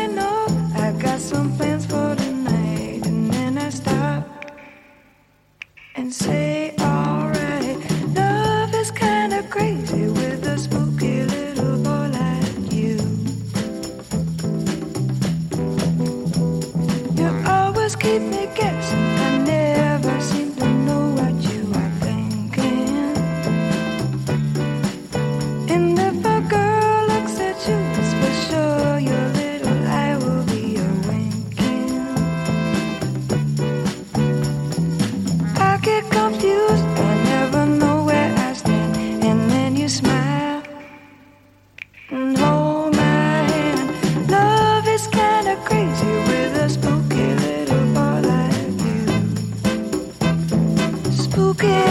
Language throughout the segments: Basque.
already know I got some plans for tonight. And then I stop and say, alright, love is kinda crazy with a spooky little boy like you. You always keep me guessing, I never seem to know what you are thinking. And if a girl looks at you, it's for sure your little eye will be a winking. I get confused, I never know where I stand. And then you smile and hold my hand. Love is kinda crazy with a spooky little boy like you. Spooky.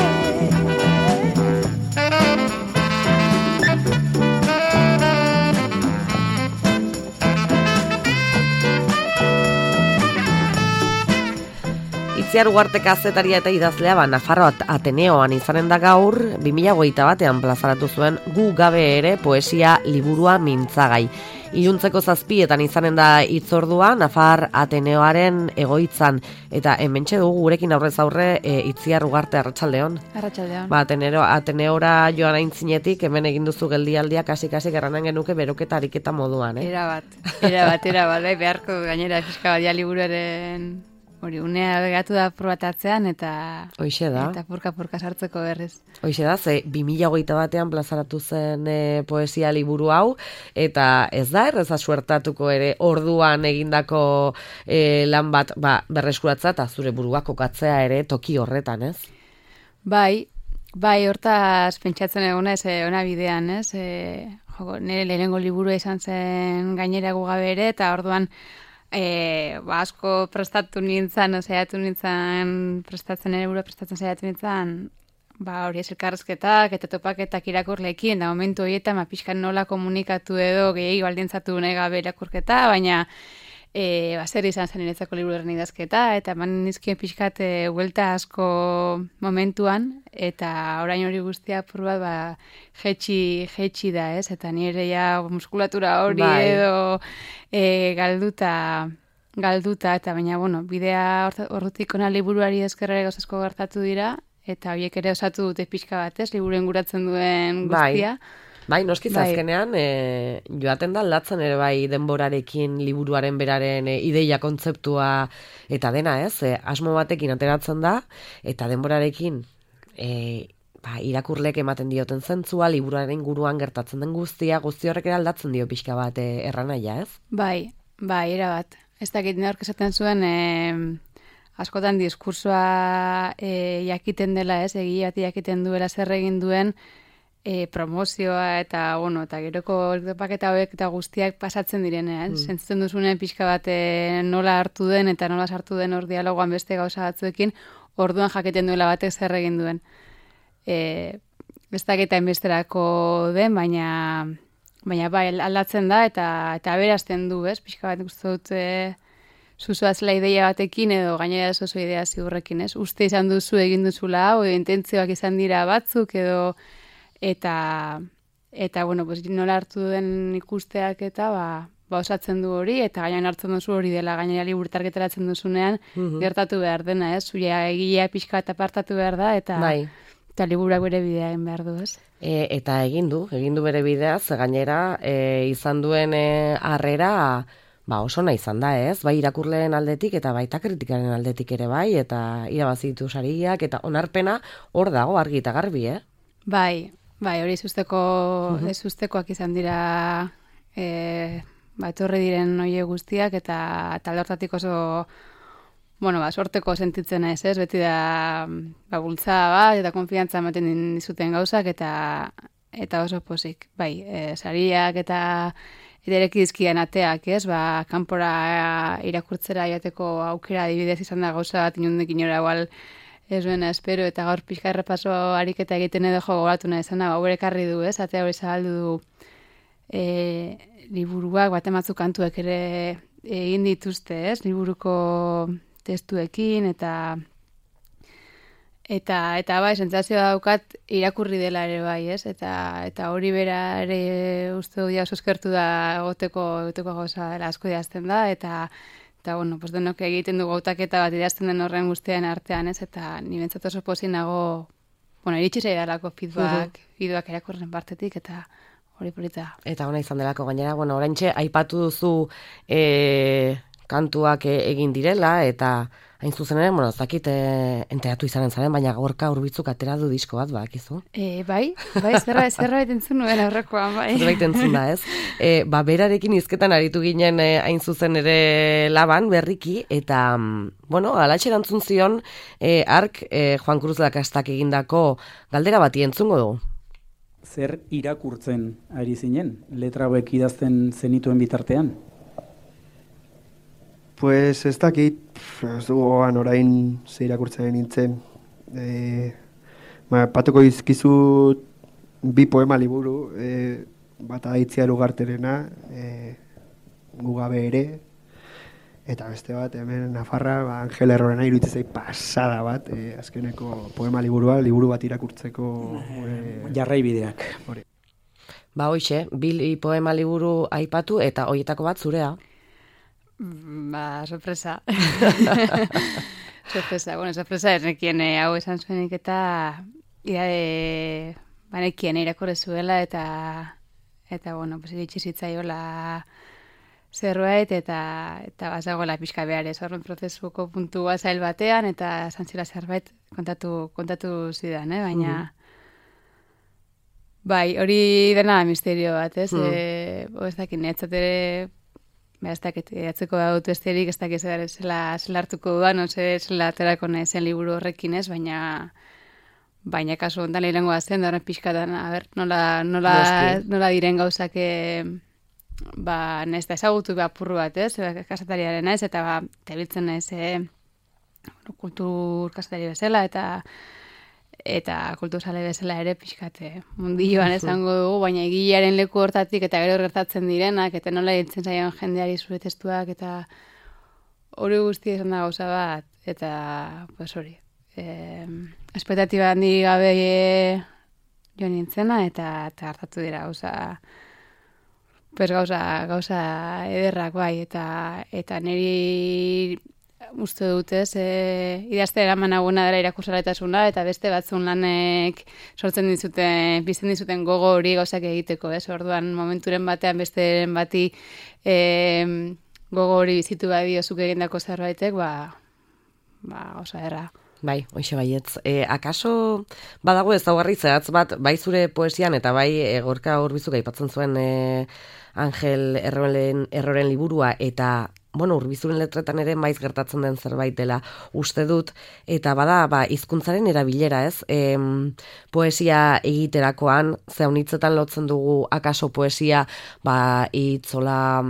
Itziar Ugarte kazetaria eta idazlea Nafarro Ateneoan izanen da gaur 2021 plazaratu zuen Gu gabe ere poesia liburua mintzagai. Iluntzeko 7etan izanen da hitzordua Nafar Ateneoaren egoitzan eta hementxe dugu gurekin aurrez aurre Itziar Ugarte, arratsaldeon. Arratsaldeon. Ateneora joan aintzinetik hemen egin duzu geldialdia kasi erranen genuke beroketa ariketa moduan, Erabat, beharko gainera fiska badia liburuaren hori unea begatu da probatatzean eta Hoixe da. Eta purka sartzeko berriz. Hoixe da, ze 2021 plazaratu zen poesia liburu hau, eta ez da erreza suertatuko ere orduan egindako lan bat berreskuratza eta zure burua kokatzea ere toki horretan, ez? Bai, hortaz pentsatzen egona ez ona bidean, ez? Nire lehenengo liburua izan zen gainera Gu gabe ere, eta orduan asko prestatu nintzen, saiatu nintzen prestatzen hori elkarrizketak eta topaketak irakurleekin, da momentu horietan pixkan nola komunikatu edo gehiago baldintzatu nahi gabe irakurketa, baina zer izan zen niretzako liburuaren idazketa, eta eman nizkien pixkat huelta asko momentuan, eta orain hori guztia apur bat jetxi da, ez? Eta nire ja muskulatura hori edo galduta, eta baina, bidea horretik ona liburuari eskerrere gauzasko gertatu dira, eta horiek ere osatu dute pixka bat, ez? Liburuen guratzen duen guztia. Bai, noskiz azkenean, joaten da aldatzen ere bai denborarekin, liburuaren beraren ideia kontzeptua eta dena, ez? Asmo batekin ateratzen da, eta denborarekin irakurleek ematen dioten zentzua, liburuaren inguruan gertatzen den guzti horrek ere aldatzen dio pixka bat erranaia, ez? Bai, erabat. Ez dakit nork esaten zuen, askotan diskursoa jakiten dela, ez? Egia bat jakiten duela zer egin duen, promozioa eta geroko paketa hauek eta guztiak pasatzen direnean. Sentitzen duzunen pixka bat nola hartu den eta nola sartu den hor dialogoan beste gauza batzuekin, orduan jaketen duela batek zer egin duen. Ez dakita inbesterako den, baina bai aldatzen da eta aberazten du, ez? Pixka bat uste dut zuzoazela ideia batekin edo gainera oso idea ziurrekin, ez? Uste izan duzu egin duzula hau, intentzioak izan dira batzuk edo eta nola hartu den ikusteak eta osatzen du hori, eta gainean hartzen duzu hori dela, gainera liburutarketaratzen duzunean, gertatu behar dena, ez? Zuia egilea pixka eta apartatu behar da, eta liburuak bere bidea egin behar du, ez? Eta egin du bere bidea, ze gainera izan duen harrera oso nahi izan da, ez? Bai irakurleen aldetik eta baita kritikaren aldetik ere bai, eta irabazitu sariak, eta onarpena hor dago argi eta garbi, Bai, hori sustekoak izan dira etorri diren oie guztiak eta aldortatik oso sorteko sentitzen naiz, ez? Beti da bultzada bat eta konfiantza ematen dizuten gauzak eta oso pozik. Bai, sariak eta ireki dizkien ateak, ez? Kanpora irakurtzera joateko aukera adibidez izan da gauza bat inundik inora igual ez duena espero, eta gaur pixka errepaso ariketa egiten edo gogoratu nahi zena, hau ekarri du, ez? Atea hori zabaldu du liburuak, batematzu kantuek ere egin dituzte, ez? Liburuko testuekin, eta Eta bai, sentsazioa daukat irakurri dela ere bai, ez? Eta hori bera ere uste dut oso eskertu da egoteko gauza dela asko idazten da, eta bueno, pues denok egiten dugu hautaketa bat idazten den horren guztian artean, ez? Eta ni bentsat oso pozik nago, bueno, iritsi zaidalako feedback irakurren partetik, eta hori polita. Eta ona izan delako gainera, bueno, oraintxe aipatu duzu kantuak egin direla, eta hain zuzen ere, bueno, ez dakit enteratu izanen zaren, baina Gorka Urbitzuk atera du disko bat, bakizu? Bai, zerbait entzun nuen aurrekoan, bai. Zerbait entzun da, ez? Berarekin hizketan aritu ginen hain zuzen ere laban, berriki, eta, bueno, alatxe erantzun zion, ark Juan Cruz Lakastak egindako galdera bati entzungo dugu. Zer irakurtzen ari zinen, letra hauek idazten zenituen bitartean? Pues ez dakit, ez dugu orain ze irakurtzen nintzen. Patuko izkizut bi poema liburu, bata Itziar Ugarterena, Gu gabe ere, eta beste bat, hemen Nafarra, Angel Errorena iruditzen zait pasada bat, azkeneko poema liburu bat irakurtzeko jarraibideak. Ba, hoxe, bi poema liburu aipatu, eta hoietako bat zurea. Ba, sorpresa. Sorpresa errekien hau esan zuenik eta banekien irakurri zuela eta bueno, pues iritsi zitzaiola zerbait eta bazagoela pixka behar ez horren prozesuko puntua zail batean eta zantzila zerbait kontatu zidan, baina bai, hori dena misterio bat, ez? Ez dakit, netzat ere ez dakit, atzeko da dut besterik, ez dakit zela hartuko dudan, zela aterako zen liburu horrekin ez, baina kasu ondan lehenengoa zen, da horren pixkatan, nola diren gauzak ez da ezagutu apurru bat, ez, kasetariaren ez, eta tebiltzen ez kultur kasetari bezala, eta kulturzale bezala ere pixkate mundilloan esango dugu, baina egilearen leku hortatik eta gero gertatzen direnak, eta nola ditzen zaion jendeari zure testuak, eta hori guzti esan da gauza bat, eta pues hori, espektatiba handi gabe jo nintzena, eta hartatu dira gauza ederrak bai, eta niri uste dutez, idazte eraman aguna dela irakursaletasuna, eta beste batzun lanek sortzen bizten dizuten gogo hori gauzak egiteko, orduan momenturen batean besteren bati gogo hori bizitu bai diozuk egindako zerbaitek, gauza erra. Bai, hoxe baietz. Akaso badago ezaugarri zehatz bat, bai zure poesian eta bai Gorka Urbizuk aipatzen zuen Angel Erroren liburua, eta bueno, Urbizuren letretan ere maiz gertatzen den zerbait dela uste dut, eta bada, hizkuntzaren erabilera, ez? Poesia egiterakoan, zeunitzetan lotzen dugu akaso poesia, hitzola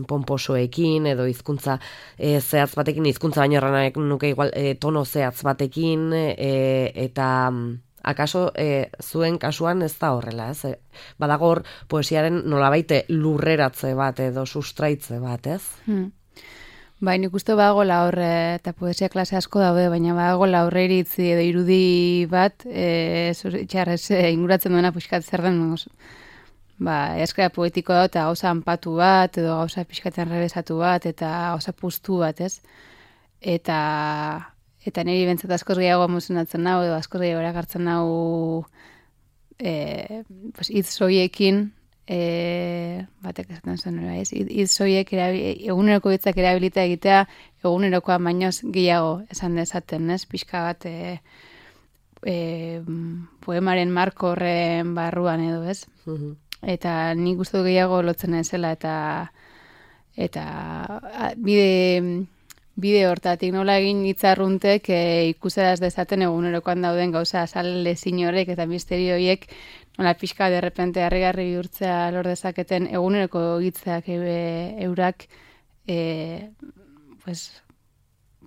pomposoekin, edo hizkuntza zehatz batekin, hizkuntza baino erranak nuke igual tono zehatz batekin, eta akaso zuen kasuan ez da horrela, ez? Badagor poesiaren nolabaite lurreratze bat edo sustraitze bat, ez? Bai, nik uste badagoela horre, eta poesia klase asko daude, baina badagoela horre iritzi edo irudi bat, txarrez inguratzen duena pixkat zer den, eskera poetiko da, eta gauza anpatu bat, edo gauza pixkatzen rebesatu bat, eta gauza puztu bat, ez? Eta niri bentsat askoz gehiago emozionatzen nau, edo askoz gehiago erakartzen nau hitz soiekin, batek esaten zen, hitz soiek eguneroko hitzak erabilita egitea, egunerokoa bainoz gehiago esan dezaten, ez? Pixka bat poemaren marko horren barruan edo, ez? Eta nik gustu gehiago lotzen ezela, eta bide hortatik nola egin hitzarruntek ikuseraz dezaten egunerokoan dauden gauza azale zinorek eta misterio horiek nola pixka derrepente harrigarri bihurtzea lor dezaketen eguneroko hitzak eurak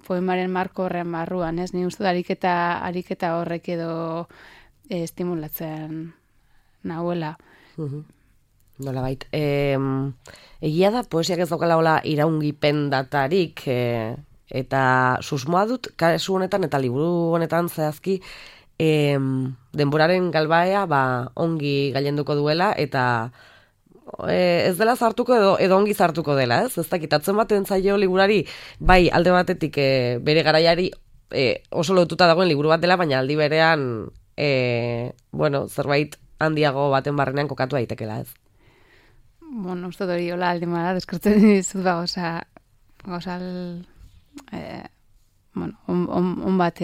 poemaren marko horren barruan, ez? Ni uste ariketa horrek edo estimulatzen nahuela. Nolabait, egia da poesiak ez daukala hola iraungipen datarik, Eta susmoa dut, kasu honetan eta liburu honetan zehazki, denboraren galbaea ongi gailenduko duela, eta ez dela zartuko edo ongi zartuko dela, ez? Ez dakitatzen baten zaio liburari, bai alde batetik bere garaiari oso lotuta dagoen liburu bat dela, baina aldi berean zerbait handiago baten barrenean kokatu daitekela, ez? Bueno, uste hori hola alde mara, deskartzen dizut gauza on bat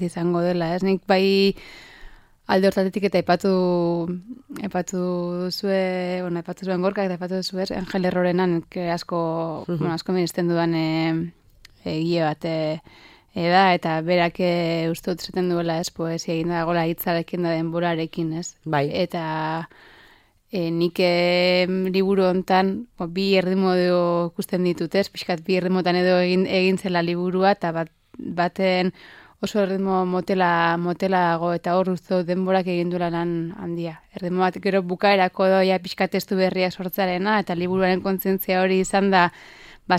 izango dela, ez? Nik bai alde hortatetik eta aipatu zuen Gorkak eta aipatu zuen Angel Errorenan asko minesten dudan egile bat da, eta berak uste dut zaten duela, ez, poesia egin da gola hitzarekin da denborarekin, ez? Bai. Eta nik liburu hontan bi erdimodo ikusten ditut, ez? Pixkat bi erdimotan edo egin zela liburua, eta baten oso erdimo motelago, eta hor uste denborak egin duela lan handia. Erdimo bat gero bukaerako doia pixkat testu berriak sortzarena, eta liburuaren kontzientzia hori izan da,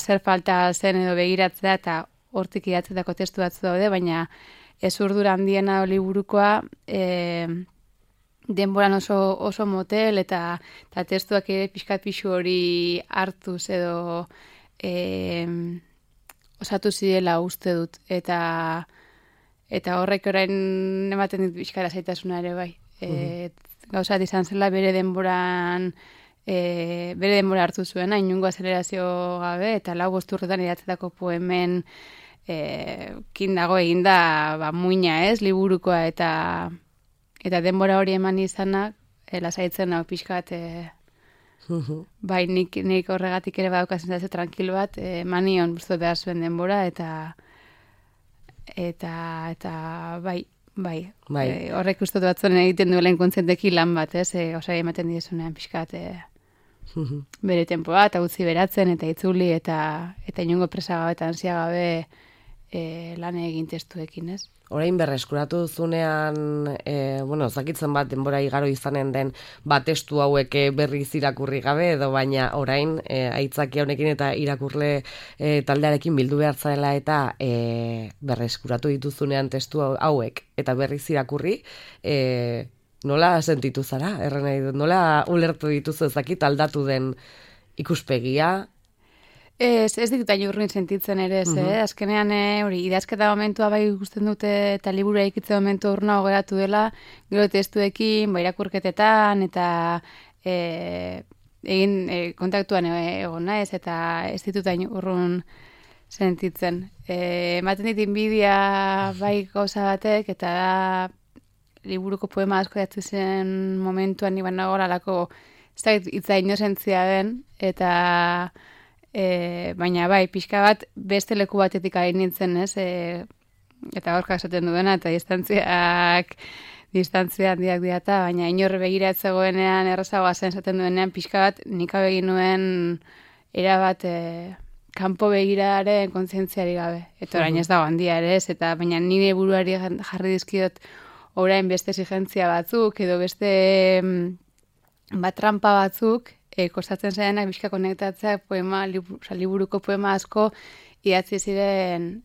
zer falta zen edo begiratzea, eta hortik idatzetako testu batzu daude, baina ez urdura handiena liburukoa, denboran oso motel, eta testuak ere pixkat pixu hori hartuz edo osatu zirela uste dut, eta horrek orain ematen dit pixkara zaitasuna ere bai. Gauzat izan zela bere denbora hartu zuena, inungo azelerazio gabe, eta 5 urtetan idatzetako poemen kin dago eginda muina, ez, liburukoa, eta denbora hori eman izanak, lasaitzen hau pixkat, bai, nik horregatik ere badaukazen da tranquil bat, manion buztu behar zuen denbora, eta bai, horrek uste batzuen egiten duela inkontzenteki lan bat, ez, osai ematen dizunean pixkat, bere tempoa, eta utzi beratzen, eta itzuli, eta inongo presa gabe, eta ansia gabe lan egin testuekin, ez? Orain berreskuratu duzunean, zakitzen bat denbora igaro izanen den testu hauek berriz irakurri gabe, edo baina orain aitzaki honekin eta irakurle taldearekin bildu behar zaela eta berreskuratu dituzunean testu hauek eta berriz irakurri, nola sentitu zara? Nola ulertu dituzu ezakit aldatu den ikuspegia? Ez ditut urrin sentitzen ere, ez, azkenean hori idazketa momentua bai ikusten dute eta libura ikitze momentu urna geratu dela, gero testuekin, irakurketetan, eta egin kontaktuan egon naiz, eta ez ditut urrun sentitzen. Ematen dit inbidia bai gauza batek, eta da liburuko poema asko datzu zen momentuan niban nagoela lako, ez da itza inozentzia den, eta baina bai, pixka bat beste leku batetik ari nintzen, ez? Eta Gorkak esaten duena, eta distantzia handiak diata, baina inorre begiratzegoenean errazagoa zen esaten duenean, pixka bat nik abegin nuen erabat kanpo begiraren kontzientziari gabe. Eta orain ez dago handia ere, ez? Eta baina nire buruari jarri dizkiot orain beste exigentzia batzuk, edo beste trampa batzuk, kostatzen zarenak bizka konektatzea liburuko poema asko idatzi ziren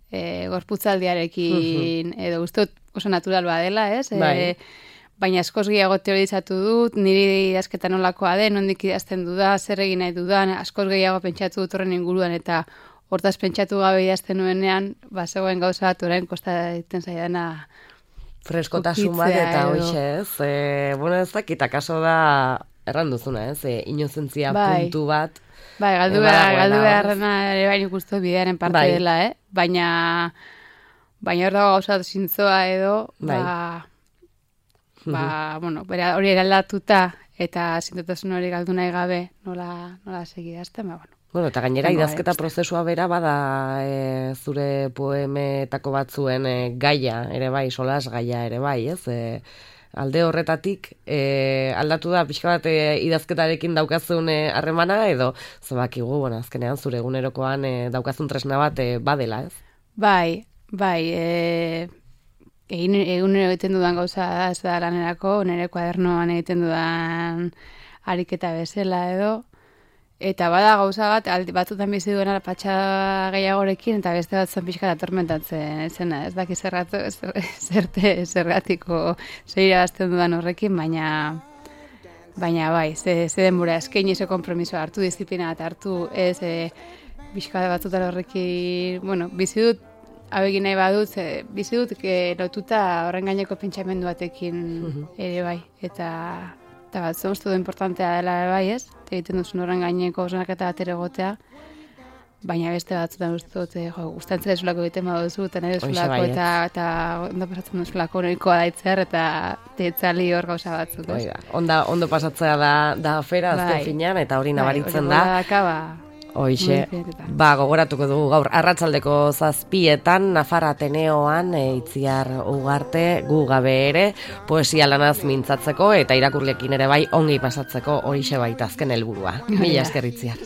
gorputzaldiarekin, edo uste oso natural badela, ez? Baina askoz gehiago teorizatu dut, niri idazketa nolakoa den, nondik idazten duda, zer egin nahi dudan, askoz gehiago pentsatu dut horren inguruan, eta hortaz pentsatu gabe idazten nuenean, zegoen gauza bat orain kostatzen zaidana freskotasun bat eta hoxe, ez? Ez dakit, akaso da erranduzuna, ez? Inozentzia puntu bat. Bai, galdu beharrena ere baino ikustu bidearen parte dela, Baina hor dago gauza zintzoa edo, hori eraldatuta eta zintotasun hori galdu nahi gabe nola segidazten, eta gainera idazketa prozesua bera bada zure poemetako batzuen gaia ere bai, solas gaia ere bai, ez? Alde horretatik aldatu da pixka bat idazketarekin daukazun harremana edo zabakigu, azkenean zure egunerokoan daukazun tresna bat badela, ez? Bai, egunero egiten dudan gauza da, ez da lanerako, nire kuadernoan egiten dudan ariketa bezala edo, Eta bada gauza bat, batzutan bizi duena patxa gehiagorekin, eta beste batzuen pixka atormentatzen zena. Ez daki zergatiko zeira bazten dudan horrekin, baina bai, ze denbora eskaini ze konpromisoa hartu, disiplina bat hartu, ez pixka batzutan horrekin, bueno, bizi dut, abegin nahi badut, bizi dut lotuta horren gaineko pentsamendu batekin ere bai, eta bat, uste du importantea dela bai, ez? Egiten duzun horren gaineko osnaketa bat ere egotea, baina beste batzutan uste dut, gustatzen duzulako egiten baduzu, eta nahi duzulako, eta ondo pasatzen duzulako nahikoa daitzer, eta tetzali hor gauza batzuk, ez? Ondo pasatzea da afera, azken finean, eta hori nabaritzen da. Hoixe, gogoratuko dugu gaur arratsaldeko 7:00 Nafar Ateneoan Itziar Ugarte gu gabe ere poesia lanaz mintzatzeko eta irakurleekin ere bai ongi pasatzeko horixe baita azken helburua. Mila esker Itziar.